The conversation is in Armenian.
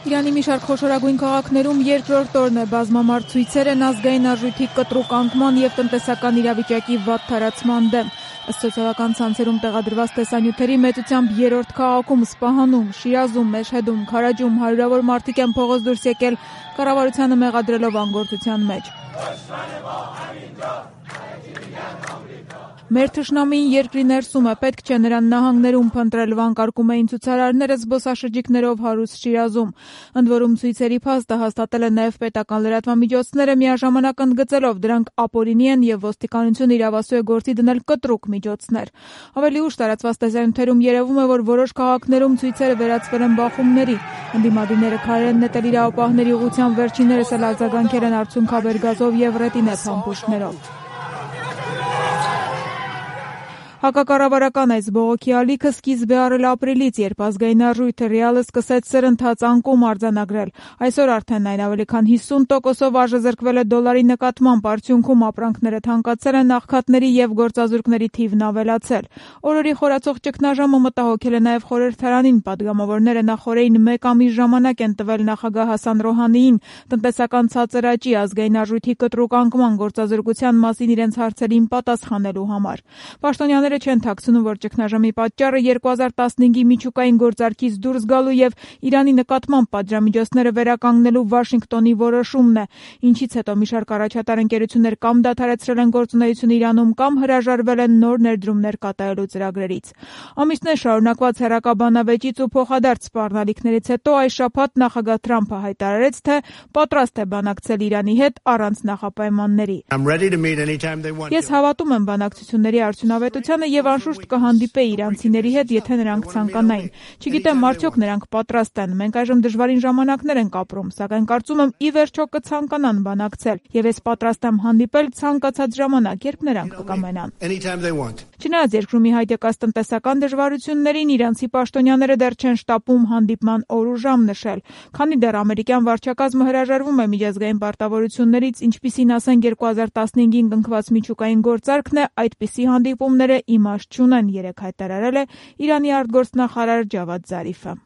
Իրանի մի շարք խոշորագույն քաղաքներում երկրորդ օրն է բազմամարդ ցույցեր են ազգային արժույթի կտրուկ անկման եւ տնտեսական իրավիճակի վատ թարացման դեմ։ Ըստ սոցիալական ցանցերում տեղադրված տեսանյութերի մեծությամբ երրորդ քաղաքում Սպահանում, Շիրազում, Մեշհեդում, Քարաջում հարյուրավոր մարդիկ են փողոց դուրս եկել կառավարությանը մեղադրելով անգործության մեջ։ Մեր թշնամին երկրի ներսում է, պետք չէ նրան նահանգներում փնտրել, վանկարկում էին ցուցարարները զբոսաշրջիկներով հարուստ Շիրազում։ Ընդ որում ցույցերի փաստը հաստատել է նաև պետական լրատվամիջոցները, միաժամանակ ընդգծելով դրանք ապօրինի են եւ ոստիկանությունը իրավասու է գործի դնել կտրուկ միջոցներ։ Ավելի ուշ տարածված տեսանյութերում երևում է, որ որոշ քաղաքներում ցույցերը վերածվել են բախումների։ Ընդդիմադիրները քարեր են նետել իրավապահների ուղղությամբ, վերջիններս էլ արձագանքել են արցունքաբեր գազով եւ ռետինե փամփուշտներով։ Հակակառավարական այս բողոքի ալիքը սկիզբ է առել ապրիլից, երբ ազգային արժույթը ռիալը սկսեց սրընթաց անկում արձանագրել։ Այսօր արդեն այն ավելի քան 50%-ով արժեզրկվել է դոլարի նկատմամբ, արդյունքում ապրանքները թանկացել են, աղքատների եւ գործազուրկների թիվն ավելացել։ Օրորի խորացող ճգնաժամը մտահոգել է նաեւ խորհրդարանին, падգամավորները նախորդին 1 ամիս ժամանակ են տվել նախագահ Հասան Ռոհանիին տնտեսական ցածր աճի, ազգային արժույթի կտրուկ անկման, գործազուրկության մասին իրենց հարցերին պատասխանելու համար։ Պաշտոնյաները չեն թաքցնում, որ ճգնաժամի պատճառը 2015-ի միջուկային գործարքից դուրս գալու եւ Իրանի նկատմամբ պատժամիջոցները վերականգնելու Վաշինգտոնի որոշումն է, ինչից հետո մի շարք առաջատար ընկերություններ կամ դադարեցրել են գործունեություն Իրանում, կամ հրաժարվել են նոր ներդրումներ կատարելու ծրագրերից։ Ամիսներ շարունակված հեռակաբանավեճից ու փոխադարձ սպառնալիքներից հետո այս շաբաթ նախագահ Թրամփը հայտարարեց, թե պատրաստ է բանակցել Իրանի հետ առանց նախապայմանների։ Ես հավատում եմ բանակցությունների արդյունավետությանը եւ անշուշտ կհանդիպեի իրանցիների հետ, եթե նրանք ցանկանային։ Չգիտեմ, արդյոք նրանք պատրաստ են։ Մենք այժմ դժվարին ժամանակներ ենք ապրում, սակայն կարծում եմ ի վերջո կցանկանան բանակցել, եւ ես պատրաստ եմ հանդիպել ցանկացած ժամանակ, երբ նրանք կկամենան։ Չնայած երկրում ի հայտ եկած տնտեսական դժվարություններին, իրանցի պաշտոնյաները դեռ չեն շտապում հանդիպման օր ու ժամ նշել, քանի դեռ ամերիկյան վարչակազմը հրաժարվում է միջազգային պարտավորություններից, ինչպիսին ասենք 2015-ին կնքված միջուկային գործարքն է, այդպիսի հանդիպումները իմաստ չունեն, երեկ հայտարարել է Իրանի արտգործնախարար Ջավադ Զարիֆը։